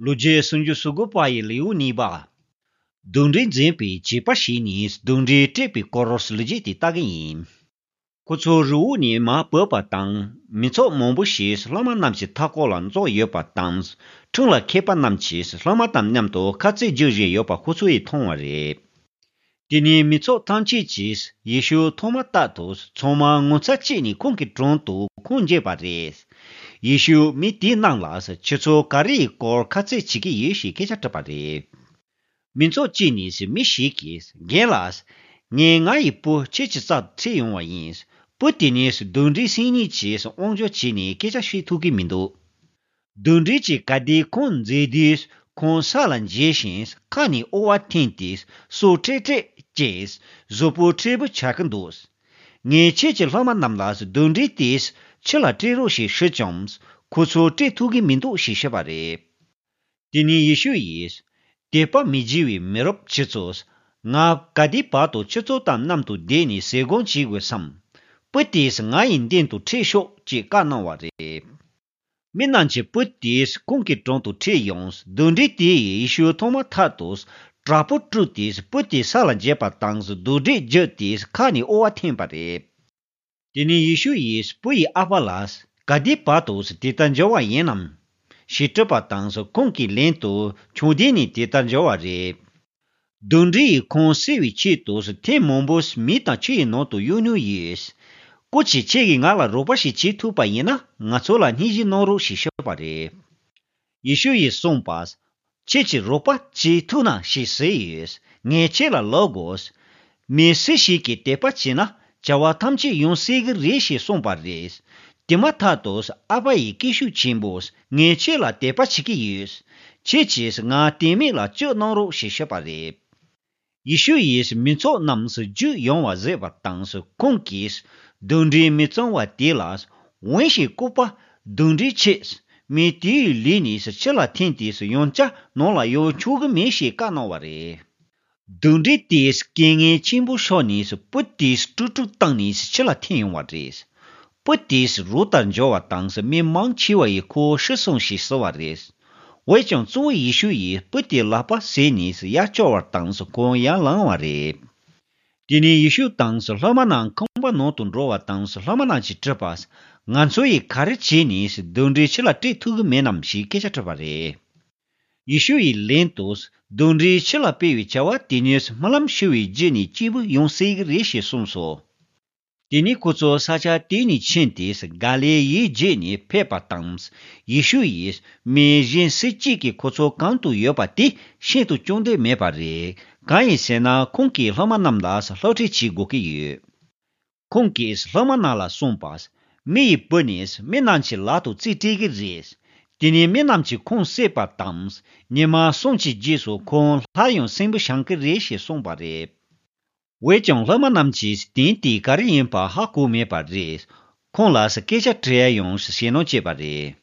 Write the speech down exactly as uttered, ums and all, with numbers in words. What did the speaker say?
ལོ་རྒྱུས་སུམ་ཅུ་སོ་དགུ་པ་ཡི་ལེའུ་གཉིས་པ། གདོན་འདྲེ་འཛིན་པའི་བྱིས་པ་ཞིག་ནས་གདོན་འདྲེ་བསྐྲད་པའི་སྐོར་ལོ་རྒྱུས་དེ་ལྟ་གི་ཡིན། ཁོ་ཚོ་རི་བོ་ནས་མར་བུད་པ་དང་། མི་ཚོགས་མང་པོ་ཞིག་སློབ་མ་རྣམས་ཀྱི་མཐའ་སྐོར་ལ་འཛོམས་ཡོད་པ་དང་། ཁྲིམས་ལ་མཁས་པ་རྣམས་ཀྱིས་སློབ་མ་དང་མཉམ་དུ་ཁ་རྩོད་རྒྱག་བཞིན་ཡོད་པ་ཁོ་ཚོས་མཐོང་བ་རེད། དེ་ནས་མི་ཚོགས་ཐམས་ཅད་ཀྱིས་ཡེ་ཤུ་མཐོང་མ་ཐག་ཏུ་ཚང་མ་ངོ་མཚར་སྐྱེས་ནས་ཁོང་གི་དྲུང་དུ་ཁོང་འགྱེལ་བ་རེད། ཡེ་ཤུས་མི་དེ་རྣམས་ལ་ཁྱེད་ཚོ་ག་རེ་ཡི་སྐོར་ཁ་རྩོད་བྱེད་ཀྱི་ཡོད་ཞེས་སྐད་ཆ་དྲིས་པ་རེད། མི་ཚོགས་ཀྱི་ནང་ནས་མི་ཞིག་གིས་རྒན་ལགས། ངས་ང་ཡི་བུ་ཁྱེད་ཀྱི་རྩར་ཁྲིད་ཡོང་བ་ཡིན། བུ་དེ་ནི་གདོན་འདྲེ་སེམས་ཉིད་ཀྱིས་དབང་འབྱོར་བྱས་ནས་སྐད་ཆ་བཤད་ཐུབ་ཀྱི་མི་འདུག་གདོན་འདྲེ་གྱིས་ག་དུས་ཁོང་འཛིན་དུས་ཁོང་ས་ལ་འགྱེལ་ཞིང་ཁ་ནས་དབུ་བ་འཐེན་ཏེ་སོ་ཀྲེག་ཀྲེག་ཅེས་གཟུགས་པོ་མཁྲེགས་པོ་ཆགས་ཀྱི་འདུག་ངས་ཁྱེད་ཀྱི་སློབ་མ་རྣམས་ལ་གདོན་འདྲེ་དེས་ཕྱི་ལ་སྐྲོད་རོགས་ཞེས་ཞུས་ཀྱང་ཁོ་ཚོས་སྐྲོད་ཐུབ་ཀྱི་མི་འདུག་ཞེས་བཤད་པ་རེད། དེ་ནས་ཡེ་ཤུ་ཡིས། དད་པ་མི་བྱེད་པའི་མི་རབས་ཁྱེད་ཚོས། ང་ག་དུས་བར་དུ་ཁྱེད་ཚོ་དང་མཉམ་དུ་བསྡད་ནས་ཟས་སྐོམ་བྱེད་དགོས་སམ། བུ་དེས་ང་ཡི་མདུན་དུ་ཁྲིད་ཤོག་ཅེས་བཀའ་གནང་བ་རེད། མི་རྣམས་ཀྱིས་བུ་དེ་ཁོང་གི་དྲུང་དུ་ཁྲིད་ཡོང་། གདོན་འདྲེ་དེ་ཡིས་ཡེ་ཤུ་མཐོང་མ་ཐག་ཏུ་དྲག་པོ་དཀྲུགས་ཏེ་བུ་དེ་ས་ལ་འགྱེལ་བ་དང་གདོན་འདྲེ་རྒྱུགས་ཏེ་ཁ་ནས་དབུ་བ་འཐེན་པ་རེད། དེ་ནས་ཡེ་ཤུ་ཡིས་བུ་ཡི་ཨ་ཕ་ལ། ག་དུས་བར་དུ་དེ་ལྟར་འགྱུར་བ་ཡིན་ནམ། ཞེས་དྲིས་པ་དང་ཁོང་གིས་ལན་དུ་ཆུང་དུས་ནས་དེ་ལྟར་འགྱུར་བ་རེད། གདོན་འདྲེ་ཡིས་ཁོང་བསད་པའི་ཆེད་དུ་ཐེངས་མང་པོ་མེ་དང་ཆུ་ཡི་ནང་དུ་གཡུགས་མྱོང་ཡོད། སྐུ་མཁྱེན་ཁྱེད་ཀྱིས་ང་ལ་རོགས་པ་ཞིག་བྱེད་ཐུབ་པ་ཡིན་ན་ང་ཚོ་ལ་སྙིང་རྗེ་གནང་རོགས་ཞེས་ཞུས་པ་རེད། ཡེ་ཤུ་ཡིས་གསུངས་པ། ཁྱེད་ཀྱིས་རོགས་པ་བྱེད་ཐུབ་ན་ཞེས་ཟེར་ཡོད། ངས་ཁྱེད་ལ་ལབ་དགོས། མི་སུ་ཞིག་གིས་དད་པ་བྱས་ན་བྱ་བ་ཐམས་ཅད་ཡང་སྲིད་ཀྱི་རེད་ཞེས་གསུངས་པ་རེད། དེ་མ་ཐག་ཏུ་ཨ་ཕ་ཡི་སྐད་ཤུགས་ཆེན་པོས་ངས་ཁྱེད་ལ་དད་པ་བྱེད་ཀྱི་ཡོད། ཁྱེད་ཀྱིས་ང་དད་མེད་ལ་བཅོས་གནང་རོགས་ཞེས་ཞུས་པ་རེད། ཡེ་ཤུ་ཡིས་མི་ཚོགས་རྣམས་རྒྱུགས་ཡོང་བ་གཟིགས་པ་དང་ཁོང་གིས་གདོན་འདྲེ་མི་གཙང་བ་དེ་ལ། འོན་ཞིག་ལྐུགས་པ་གདོན་འདྲེ་ཁྱེད། མི་དེའི་ལུས་ནས་ཕྱི་ལ་འཐེན་ཏེ་ཡང་བསྐྱར་ནང་ལ་ཡོང་ཆོག་གི་མེད་ཞེས་བཀའ་གནང་བ་རེད། གདོན་འདྲེ་དེས་སྐད་ངན་ཆེན་པོ་ཤོར་ནས་བུ་དེ་དཀྲུག་དཀྲུག་བཏང་ནས་ཕྱི་ལ་འཐེན་ཡོང་བ་རེད། བུ་དེ་རོ་ལྟར་འགྱུར་བ་དང་མི་མང་ཆེ་བ་ཡིས་ཁོ་ཤི་སོང་ཞེས་ཟེར་བ་རེད། འོན་ཀྱང་གཙོ་བོ་ཡེ་ཤུ་ཡིས་བུ་དེའི་ལག་པ་བཟུང་ནས་ཡར་བསྐྱོར་བ་དང་ཁོང་ཡར་ལངས་པ་རེད། དེ་ནས་ཡེ་ཤུ་དང་སློབ་མ་རྣམས་ཁང་པ་ནང་དུ་འགྲོ་བ་དང་སློབ་མ་རྣམས་ཀྱིས་དྲིས་པ། ང་ཚོ་ཡིས་ག་རེ་བྱས་ནས་གདོན་འདྲེ་ཕྱི་ལ་སྐྲོད་ཐུབ་ཀྱི་མེད་ནམ་ཞེས་སྐད་ཆ་དྲིས་པ་རེད། ཡེ་ཤུ་ཡིས་ལན་དུ། གདོན་འདྲེ་ཕྱི་ལ་སྤེལ་བའི་བྱ་བ་དེ་ནི་སྨོན་ལམ་ཞུ་བའི་རྗེས་ནས་སྐྱེས་བུ་ཡང་སྲིད་ཀྱི་རེད་ཞེས་གསུངས་སོ། དེ་ནས་ཁོ་ཚོ་ས་ཆ་དེ་ནས་ཕྱིན་ཏེ་ག་ལིལ་ཡུལ་བརྒྱུད་ནས་ཕེབས་པ་དང་། ཡེ་ཤུ་ཡིས་མི་གཞན་སུ་གཅིག་གིས་ཁོ་ཚོ་གང་དུ་ཡོད་པ་དེ་ཤེས་རྟོགས་བྱུང་འདོད་མེད་པ་རེད། གང་ཡིན་ཟེར་ན་ཁོང་གིས་སློབ་མ་རྣམས་ལ་སློབ་ཁྲིད་བྱེད་དགོས་ཀྱི་ཡོད། ཁོང་གིས་སློབ་མ་རྣམས་ལ་གསུངས་པ། མི་ཡི་བུ་ནི་མི་རྣམས་ཀྱི་ལག་ཏུ་རྩིས་སྤྲད་ཀྱི་རེད། དེ་ནས་མི་རྣམས་ཀྱིས་ཁོང་བསད་པ་དང་། ཉི་མ་གསུམ་གྱི་རྗེས་སུ་ཁོང་སླར་ཡང་གསོན་པོར་བཞེངས་ཀྱི་རེད་ཞེས་གསུངས་པ་རེད། འོན་ཀྱང་སློབ་མ་རྣམས་ཀྱིས་དོན་དེ་ག་རེ་ཡིན་པ་ཧ་གོ་མེད་པ་རེད། ཁོང་ལ་སྐད་ཆ་དྲི་ཡ་ཡང་ཞེད་སྣང་སྐྱེས་པ་རེད།